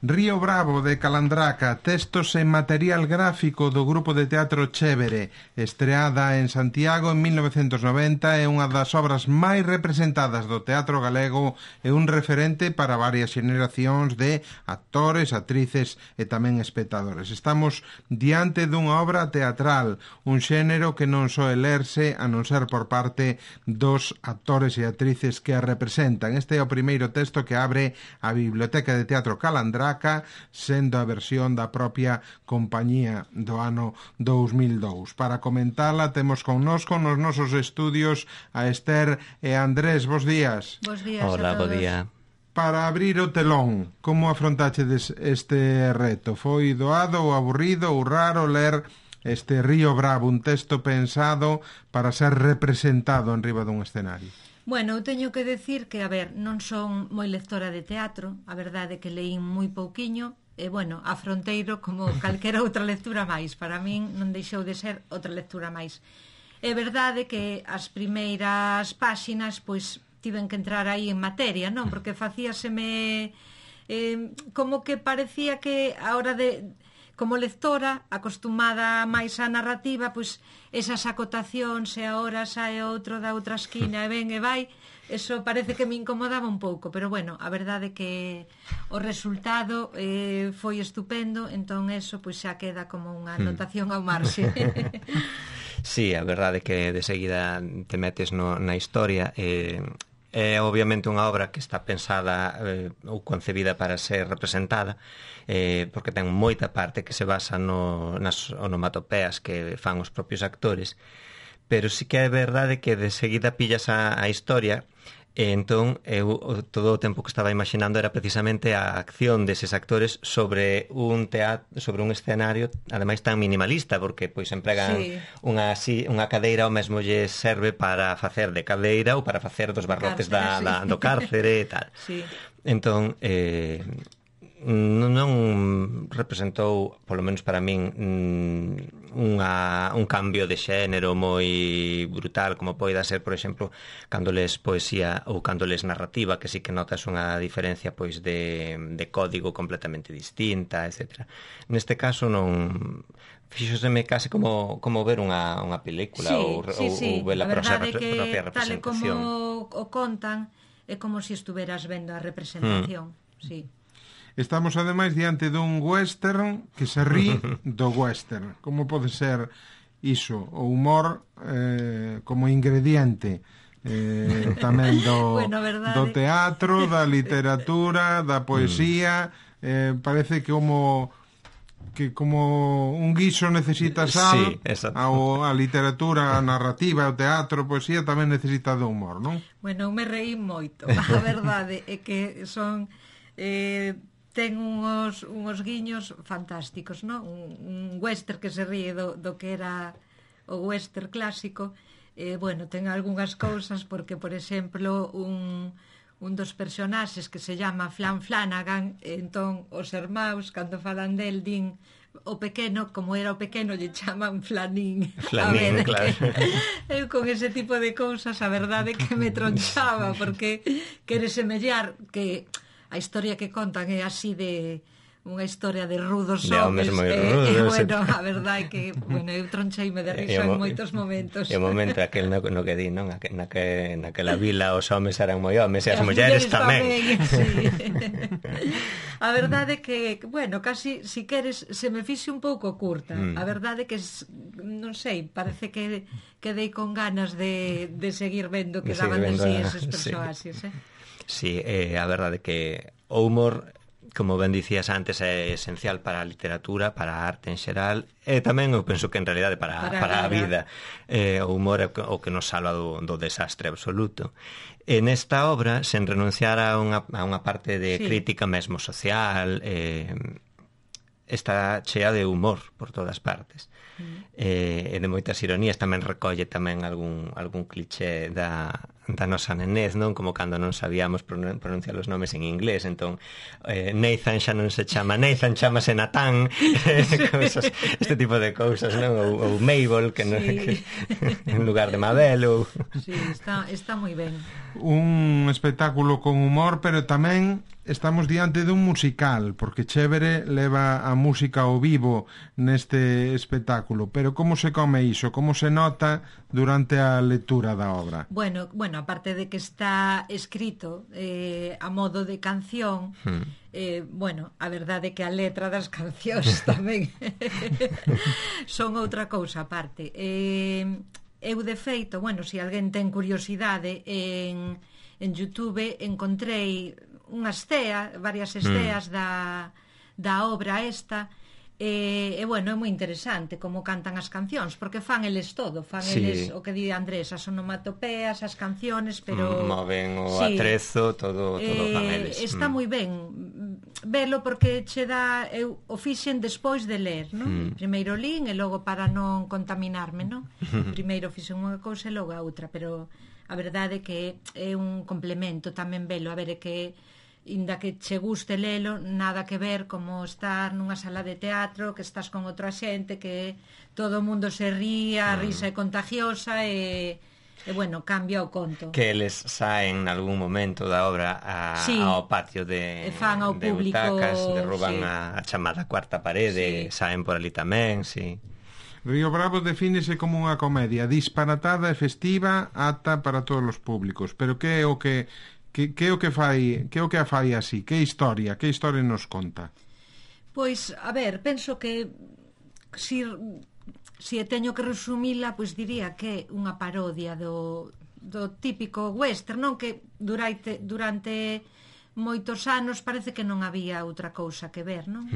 Río Bravo de Calandraca, textos e material gráfico do grupo de teatro Chévere, estreada en Santiago en 1990, é unha das obras máis representadas do teatro galego e un referente para varias xeneracións de actores, actrices e tamén espectadores. Estamos diante dunha obra teatral, un xénero que non soe lerse a non ser por parte dos actores e actrices que a representan. Este é o primeiro texto que abre a Biblioteca de Teatro Calandraca, sendo a versión da propia compañía do ano 2002. Para comentala temos connosco nos nosos estudios a Esther e Andrés. Bos días. Bos días. Hola, bo día. Para abrir o telón, como afrontachedes este reto? Foi doado ou aburrido ou raro ler este Río Bravo, un texto pensado para ser representado en riba dun escenario? Bueno, eu teño que decir que, a ver, non son moi lectora de teatro, a verdade é que leín moi pouquiño, e, bueno, a fronteiro como calquera outra lectura máis, para min non deixou de ser outra lectura máis. É verdade que as primeiras páxinas, pois, tiven que entrar aí en materia, non? Porque facíaseme como que parecía que a hora de... Como lectora, acostumada máis á narrativa, pois esas acotacións e agora sae outro da outra esquina e ven e vai, eso parece que me incomodaba un pouco, pero bueno, a verdade é que o resultado foi estupendo, entón eso pois xa queda como unha anotación ao marxe. Sí, a verdade é que de seguida te metes na historia é obviamente unha obra que está pensada ou concebida para ser representada, porque ten moita parte que se basa nas onomatopeas que fan os propios actores, pero sí que é verdade que de seguida pillas a historia. Entón, eu todo o tempo que estaba imaginando era precisamente a acción deses actores sobre un escenario, ademais tan minimalista, porque pois empregan unha cadeira, o mesmo lle serve para facer de cadeira ou para facer dos barrotes do cárcere e tal. Sí. Entón, non representou, polo menos para min, un cambio de xénero moi brutal, como poida ser, por exemplo, cando les poesía ou cando les narrativa, que sí que notas unha diferencia pois de código completamente distinta, etc. Neste caso non... fíxoseme case como ver unha película ou ver a propia representación. Tal e como o contan, é como se estuveras vendo a representación. Sí. Estamos, ademais, diante dun western que se rí do western. Como pode ser iso? O humor como ingrediente tamén do teatro, da literatura, da poesía. Parece que como un guiso necesita sal, a literatura, a narrativa, o teatro, a poesía tamén necesita do humor, non? Bueno, me reí moito. A verdade é que son... ten uns guiños fantásticos, non? Un western que se ríe do que era o western clásico. Bueno, ten algunhas cousas porque, por exemplo, un dos personaxes que se llama Flan Flanagan, entón os irmáns, cando falan del, din o pequeno, como era o pequeno, lle chaman Flanín. Flanín, claro. Eu con ese tipo de cousas, a verdade que me tronchaba, porque quere semellar que... A historia que contan é así de unha historia de rudos homes, bueno, a verdade é que, bueno, eu troncheime de risa en moitos momentos. E o momento aquel no que di, non? Naquela vila os homes eran moi homes e as mulleres tamén. Sí. A verdade é que, bueno, casi, si queres, se me fixe un pouco curta. A verdade é que, non sei, parece que quedei con ganas de seguir vendo que daban de si eses persoaxes, Sí, a verdade que o humor, como ben dicías antes, é esencial para a literatura, para a arte en xeral, e tamén eu penso que en realidade para a vida. O humor é o que nos salva do desastre absoluto. En esta obra, sen renunciar a unha parte de crítica mesmo social, está chea de humor por todas partes. E de moitas ironías, tamén recolle tamén algún cliché da nosa nenez, non? Como cando non sabíamos pronunciar os nomes en inglés, entón Nathan xa non se chama Nathan, chamase Natán. Este tipo de cousas, non? Ou Mabel, que en lugar de Mabel. Sí, está moi ben. Un espectáculo con humor, pero tamén estamos diante dun musical, porque Chévere leva a música ao vivo neste espectáculo, pero como se come iso? Como se nota durante a lectura da obra? Bueno, aparte de que está escrito a modo de canción, bueno, a verdade é que a letra das cancións tamén son outra cousa aparte. Eu, de feito, bueno, se alguén ten curiosidade, en YouTube encontrei varias esteas da obra esta, e bueno, é moi interesante como cantan as cancións, porque fan eles todo, eles o que di Andrés, as onomatopeas, as canciones, pero moven o atrezo, todo fan eles. Está moi ben velo, porque che dá, eu o fixen despois de ler, non? Primeiro lín e logo para non contaminarme, non? Primeiro fixen unha cousa e logo a outra, pero a verdade é que é un complemento tamén velo, a ver, é que inda que che guste lelo, nada que ver como estar nunha sala de teatro, que estás con outra xente, que todo o mundo se ría, a risa é contagiosa e bueno, cambia o conto. Que eles saen nalgún momento da obra ao patio de butacas, derruban a chamada cuarta parede, saen por ali tamén, Río Bravo defínese como unha comedia disparatada e festiva, apta para todos os públicos, pero que é o que a fai así? Que historia nos conta? Pois, a ver, penso que se teño que resumila, pois diría que é unha parodia do típico western, non? Que durante moitos anos parece que non había outra cousa que ver, non?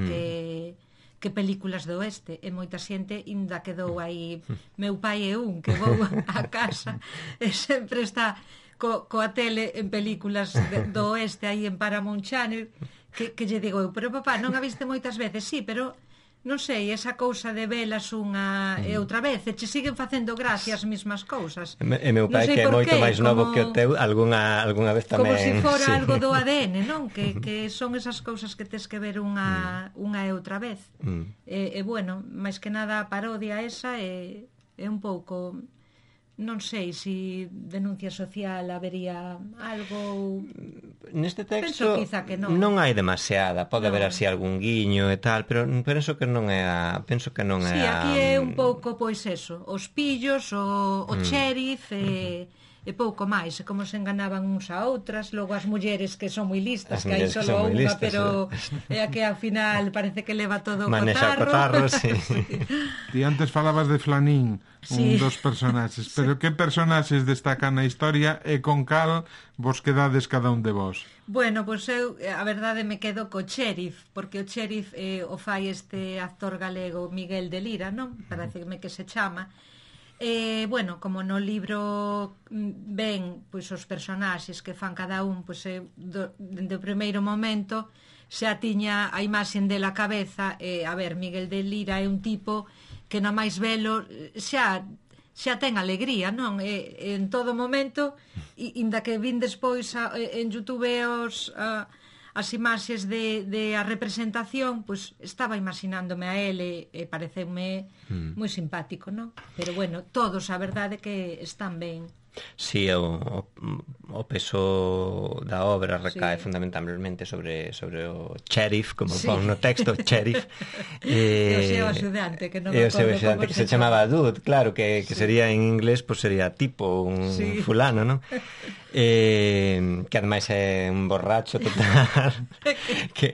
Que películas do oeste, e moita xente ainda quedou aí. Meu pai é un que vou a casa e sempre está coa tele en películas do oeste aí en Paramount Channel, que lle digo eu, pero papá, non a viste moitas veces? Sí, pero non sei, esa cousa de velas unha e outra vez, e che siguen facendo gracia as mesmas cousas. E meu pai, que é moito máis novo que o teu, algunha vez tamén... Como se fora algo do ADN, non? Que son esas cousas que tes que ver unha e outra vez. E bueno, máis que nada a parodia esa é un pouco... Non sei se denuncia social habería algo... Neste texto non hai demasiada, pode haber así algún guiño e tal, pero penso que non é Sí, aquí é un pouco, pois eso, os pillos, o sheriff e pouco máis, e como se enganaban uns a outras, logo as mulleres que son moi listas, que hai só unha, pero é a que ao final parece que leva todo o cotarro. Manexa o cotarro, sí. Ti antes falabas de Flanín, un dos personaxes, pero que personaxes destacan na historia e con cal vos quedades cada un de vos? Bueno, pois eu, a verdade, me quedo co sheriff, porque o sheriff o fai este actor galego Miguel de Lira, non? Pareceme que se chama. Bueno, como no libro ven pois os personaxes que fan cada un, pois dende o primeiro momento xa tiña a imaxen dela cabeza, a ver, Miguel de Lira é un tipo que na máis velo xa ten alegría, non? En todo momento, inda que vin despois en YouTube as imaxes de a representación, pois estaba imaginándome a ele e pareceume moi simpático, non? Pero bueno, todos a verdade que están ben. Sí, o peso da obra recae fundamentalmente sobre o sheriff, como pon no texto, sheriff. E o seu axudante, que non me acordo como que se chamaba Dude, claro, que sería en inglés, pues sería tipo un fulano, non? Que ademais é un borracho total, que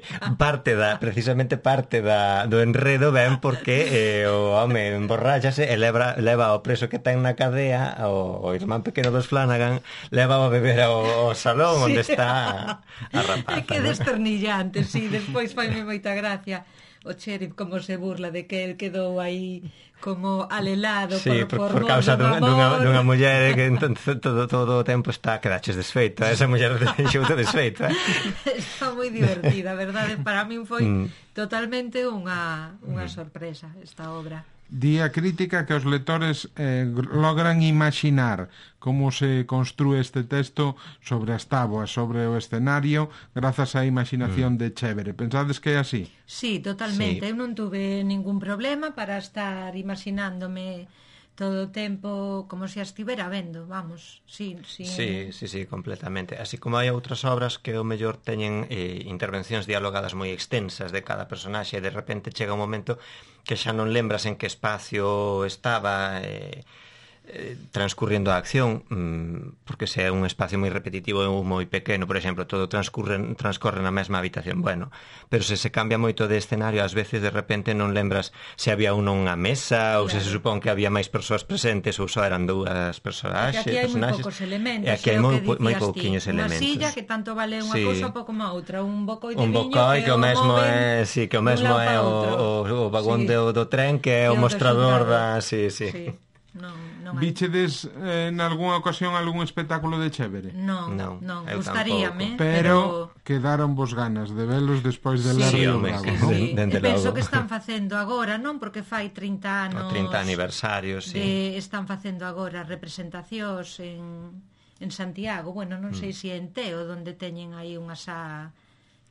precisamente parte do enredo ven porque o home emborráchase e leva o preso que ten na cadea, o irmán pequeno dos Flanagan, leva a beber ao salón onde está a rapaza. É que desternillante, despois faime moita gracia o sheriff como se burla de que el quedou aí como alelado por causa dunha muller que todo o tempo quedaches desfeito, esa muller xouto desfeito. Está moi divertida, verdade? Para min foi totalmente unha sorpresa esta obra. Di a crítica que os lectores logran imaginar como se construe este texto sobre as táboas, sobre o escenario, grazas á imaginación de Chévere. Pensades que é así? Sí, totalmente. Eu non tuve ningún problema para estar imaginándome todo o tempo como se a estivera vendo, vamos, sí, completamente. Así como hai outras obras que o mellor teñen intervencións dialogadas moi extensas de cada personaxe e de repente chega un momento que xa non lembras en que espacio estaba transcurrindo a acción, porque se é un espacio moi repetitivo ou moi pequeno, por exemplo, todo transcorre na mesma habitación, bueno, pero se cambia moito de escenario, ás veces de repente non lembras se había unha mesa ou se supón que había máis persoas presentes ou só eran dúas personaxes. Aquí hai moi poucos elementos, e aquí hai moi pouquiños elementos. Unha silla que tanto vale unha cousa pouco má outra, un bocoi de viño que o mesmo é, que o mesmo é o vagón do tren, que é o mostrador da, Vichedes nalgúna ocasión algún espectáculo de Chévere? Non, gustaríame, pero quedaron vos ganas de velos despois de ler Río Bravo, non? E penso que están facendo agora, non? Porque fai 30 anos... O 30 aniversario, Están facendo agora representacións en Santiago, bueno, non sei se en Teo, onde teñen aí unha xa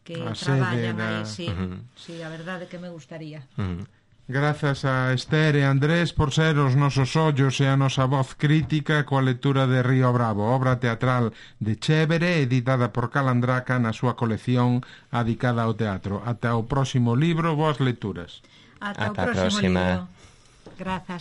que traballan aí, sí, a verdade que me gustaría. Grazas a Esther e Andrés por ser os nosos ollos e a nosa voz crítica coa lectura de Río Bravo, obra teatral de Chévere, editada por Calandraca na súa colección adicada ao teatro. Ata o próximo libro, boas lecturas. Ata o próximo libro. Grazas.